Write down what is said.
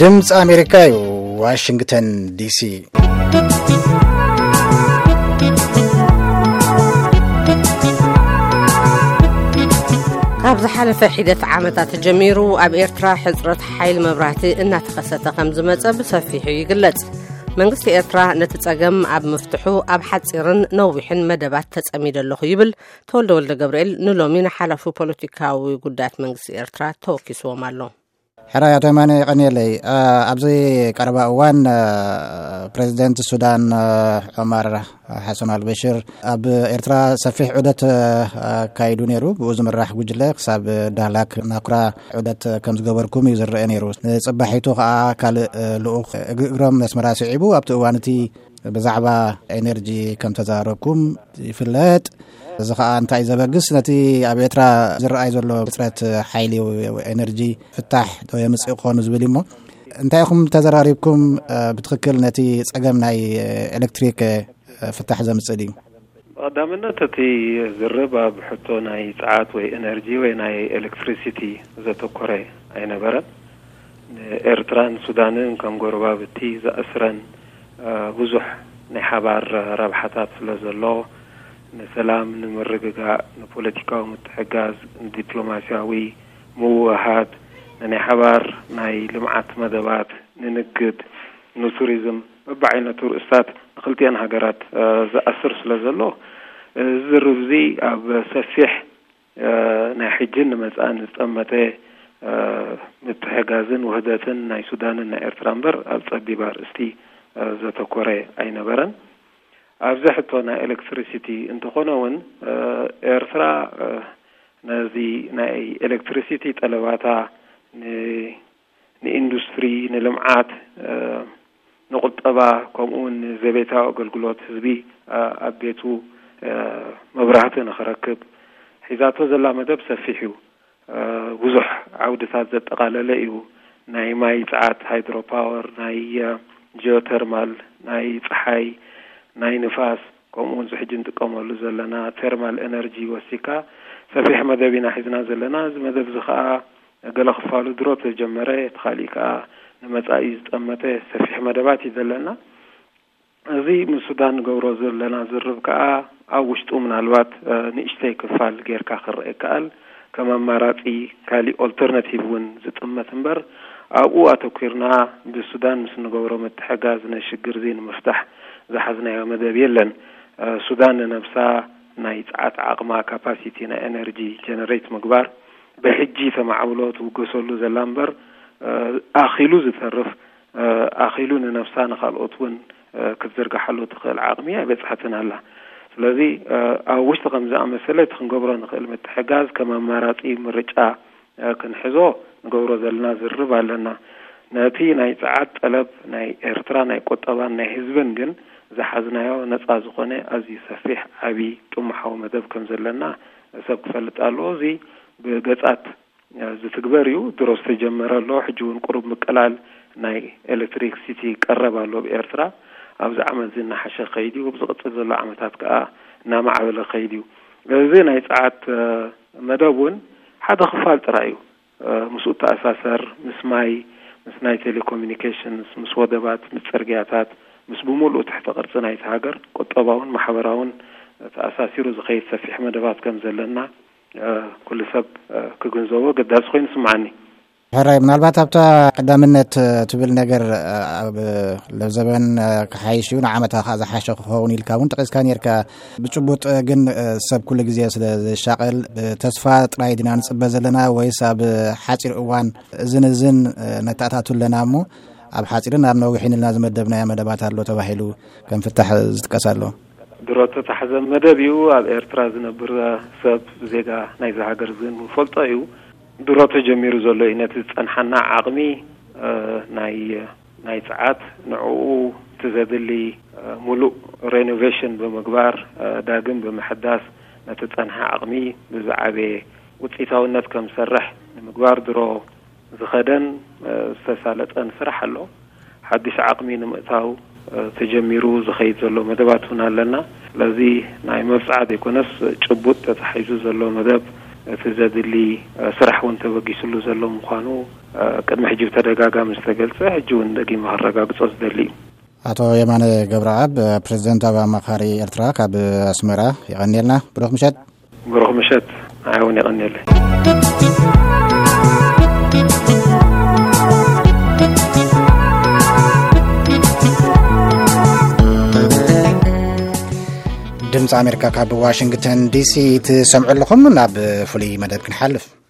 ድምፂ ኣሜሪካ እዩ፣ ዋሽንግተን ዲሲ። ካብ ዝሓለፈ ሒደት ዓመታት ጀሚሩ ኣብ ኤርትራ ሕጽረት ሓይሊ መብራህቲ እናተኸሰተ ከም ዝመጸ ብሰፊሑ ይግለጽ። መንግስቲ ኤርትራ ነቲ ጸገም ኣብ ምፍትሑ ኣብ ሓጺርን ነዊሕን መደባት ተጸሚደ ኣለኹ ይብል። ተወልደ ወልደ ገብርኤል ንሎሚ ንሓላፉ ፖለቲካዊ ጉዳያት መንግስቲ ኤርትራ ተወኪስዎም ኣሎ። ሕራይ ኣቶ የማነ የቐንየለይ። ኣ፣ ኣብዚ ቀረባ እዋን፣ ኣ፣ ፕሬዚደንት ሱዳን፣ ኣ፣ ዑመር ሓሰን ኣልበሽር ኣብ ኤርትራ ሰፊሕ ዑደት፣ ኣ፣ ኣካይዱ ነይሩ። ብኡ ዝምራሕ ጉጅለ ክሳብ ዳህላክ ናኩራ ዑደት ከም ዝገበርኩም እዩ ዝረአ ነይሩ። ንጽባሒቱ ከኣ ካልእ፣ እ፣ ልኡኽ እግሪ እግሮም ነስመራ ስዒቡ ኣብቲ እዋን እቲ ብዛዕባ ኤነርጂ ከም ተዛረብኩም ይፍለጥ። እዚ ከኣ እንታይ ዘበግስ ነቲ ኣብ ኤርትራ ዝረኣይ ዘሎ ሕጽረት ሓይሊ ኤነርጂ ፍታሕ ዶ የምጽእ ክኾኑ ዝብል እዩ። እሞ እንታይ ኢኹም ተዘራሪብኩም፣ እ፣ ብትኽክል ነቲ ጸገም ናይ ኤሌክትሪክ፣ እ፣ ፍታሕ ዘምጽእ ድዩ? ብቐዳምነት እቲ ዝርብ ኣብ ሕቶ ናይ ጸዓት ወይ ኤነርጂ ወይ ናይ ኤሌክትሪሲቲ ዘተኮረ ኣይነበረን። ንኤርትራን ሱዳንን ከም ጎረባብቲ ዘኣስረን፣ እ፣ ብዙሕ ናይ ሓባር ረብሓታት ስለ ዘሎ፣ ንሰላም፣ ንምርግጋእ፣ ንፖለቲካዊ ምትሕጋዝ፣ ንዲፕሎማስያዊ ምውህሃድ፣ ንናይ ሓባር ናይ ልምዓት መደባት፣ ንንግድ፣ ንቱሪዝም፣ በብዓይነቱ ርእስታት ንክልቲኣን ሃገራት፣ እ፣ ዘኣስር ስለ ዘሎ፣ እዚ ዝርብ እዚ ኣብ ሰፊሕ፣ እ፣ ናይ ሕጅን ንመጻእን ዝጠመተ፣ እ፣ ምትሕጋዝን ውህደትን ናይ ሱዳንን ናይ ኤርትራ እምበር ኣብ ጸቢብ ኣርእስቲ፣ እ፣ ዘተኮረ ኣይነበረን። ኣብዚ ሕቶ ናይ ኤሌክትሪሲቲ እንተኾነ እውን፣ እ፣ ኤርትራ፣ እ፣ ነዚ ናይ ኤሌክትሪሲቲ ጠለባታ ን-፣ ንኢንዱስትሪ፣ ንልምዓት፣ እ፣ ንቁጠባ፣ ከምኡ እውን ንዘቤታዊ ኣገልግሎት ህዝቢ፣ እ፣ ኣብ ቤቱ፣ እ፣ መብራህቲ ንኽረክብ ሒዛቶ ዘላ መደብ ሰፊሕ እዩ። እ፣ ብዙሕ ዓውድታት ዘጠቓለለ እዩ። ናይ ማይ ጸዓት፣ ሃይድሮፓወር፣ ናይ፣ እ፣ ጂኦተርማል፣ ናይ ጸሓይ፣ ናይ ንፋስ፣ ከምኡ እውን እዚ ሕጂ እንጥቀመሉ ዘለና ቴርማል ኤነርጂ ወሲካ ሰፊሕ መደብ ኢና ሒዝና ዘለና። እዚ መደብ እዚ ከኣ ገለ ክፋሉ ድሮ ተጀመረ፣ እቲ ካሊእ ከኣ ንመጻኢ ዝጠመተ ሰፊሕ መደባት እዩ ዘለና። እዚ ምስ ሱዳን ንገብሮ ዘለና ዝርብ ከኣ ኣብ ውሽጡ ምናልባት፣ እ፣ ንእሽተይ ክፋል ጌርካ ክረአ ይከኣል። ከም ኣማራጺ ካሊእ ኦልተርናቲቭ እውን ዝጥመት እምበር፣ ኣብኡ ኣተኲርና ብሱዳን ምስ ንገብሮ ምትሕጋዝ ነዚ ሽግር እዚ ንምፍታሕ ዝሓዝናዮ መደብ የለን። እ፣ ሱዳን ንነብሳ ናይ ጸዓት ዓቕማ፣ ካፓሲቲ ናይ ኤነርጂ ጀነሬት ምግባር፣ ብሕጂ ተማዕብሎ ትውገሰሉ ዘላ እምበር፣ እ፣ ኣኺሉ ዝተርፍ፣ እ፣ ኣኺሉ ንነብሳ ንኻልኦት እውን፣ እ፣ ክትዝርግሓሉ ትኽእል ዓቕሚ ኣይበጽሐትን ኣላ። ስለዚ፣ እ፣ ኣብ ውሽጢ ከም ዝኣመሰለ እቲ ክንገብሮ ንኽእል ምትሕጋዝ ከም ኣማራጺ ምርጫ፣ እ፣ ክንሕዞ ንገብሮ ዘለና ዝርብ ኣለና። ነቲ ናይ ጸዓት ጠለብ ናይ ኤርትራ ናይ ቁጠባን ናይ ህዝብን ግን ዝሓዝናዮ ነጻ ዝኾነ ኣዝዩ ሰፊሕ ዓቢ ጥሙሓዊ መደብ ከም ዘለና ሰብ ክፈልጥ ኣለዎ። እዚ ብገጻት፣ እ፣ ዝትግበር እዩ። ድሮ ዝተጀመረ ኣሎ። ሕጂ እውን ቁሩብ ምቅላል ናይ ኤሌክትሪክሲቲ ቀረብ ኣሎ ኣብ ኤርትራ። ኣብዚ ዓመት እዚ እናሓሸ ከይድ እዩ። ኣብ ዝቕጽል ዘሎ ዓመታት ከኣ እናማዕበለ ከይድ እዩ። እዚ ናይ ጸዓት፣ እ፣ መደብ እውን ሓደ ክፋል ጥራይ እዩ። እ፣ ምስኡ ተኣሳሰር፣ ምስ ማይ፣ ምስ ናይ ቴሌኮሙኒኬሽንስ፣ ምስ ወደባት፣ ምስ ጽርግያታት፣ ምስ ብምሉኡ ትሕተ ቅርጺ ናይቲ ሃገር ቁጠባውን ማሕበራውን ተኣሳሲሩ ዝኸይድ ሰፊሕ መደባት ከም ዘለና፣ እ፣ ኩሉ ሰብ፣ እ፣ ክግንዘቦ ኣገዳሲ ኮይኑ ይስምዓኒ። ሕራይ፣ ምናልባት ኣብታ ቀዳምነት፣ እ፣ ትብል ነገር፣ እ፣ ኣብ ለዘበን፣ እ፣ ክሓይሽ እዩ፣ ንዓመታ ከኣ ዝሓሸ ክኸውን ኢልካ እውን ጠቒስካ ነርካ። ብጭቡጥ፣ እ፣ ግን፣ እ፣ ሰብ ኩሉ ግዜ ስለ ዝሻቐል፣ ብተስፋ ጥራይ ዲና ንጽበ ዘለና ወይስ ኣብ ሓጺር እዋን እዝን እዝን፣ እ፣ ነተኣታቱ ኣለና እሞ ኣብ ሓጺርን ኣብ ነዊሕን ኢልና ዝመደብናዮ መደባት ኣሎ ተባሂሉ ከም ፍታሕ ዝጥቀስ ኣሎ? ድሮ እተታሕዘ መደብ እዩ። ኣብ ኤርትራ ዝነብር ሰብ ዜጋ ናይዚ ሃገር ዝን ፈልጦ እዩ። ድሮ ተጀሚሩ ዘሎ እዩ። ነቲ ዝጸንሓና ዓቕሚ፣ እ፣ ናይ፣ ናይ ጸዓት ንዕኡ እቲ ዘድሊ፣ እ፣ ሙሉእ ሬኖቬሽን ብምግባር፣ እ፣ ዳግም ብምሕዳስ ነቲ ጸንሐ ዓቕሚ ብዝዓበየ ውጽኢታውነት ከም ዝሰርሕ ንምግባር ድሮ ዝኸደን፣ እ፣ ዝተሳለጠን ስራሕ ኣሎ። ሓድሽ ዓቕሚ ንምእታው፣ እ፣ ተጀሚሩ ዝኸይድ ዘሎ መደባት እውን ኣለና። ስለዚ ናይ መብጽዓ ዘይኮነስ ጭቡጥ ተታሒዙ ዘሎ መደብ እቲ ዘድሊ፣ እ፣ ስራሕ እውን ተበጊስሉ ዘሎ ምዃኑ ቅድሚ ሕጂ ብተደጋጋሚ ዝተገልጸ፣ ሕጂ እውን ደጊመ ከረጋግጾ ዝደሊ እዩ። ኣቶ የማነ ገብረኣብ፣ ፕሬዚደንታዊ ኣማኻሪ ኤርትራ ካብ ኣስመራ፣ የቐንየልና። ብሩኽ ምሸት። ብሩኽ ምሸት። ንዓይ እውን የቐንየለይ። ድምፂ ኣሜሪካ ካብ ዋሽንግተን ዲሲ ትሰምዑ ኣለኹም። ናብ ፍሉይ መደብ ክንሓልፍ።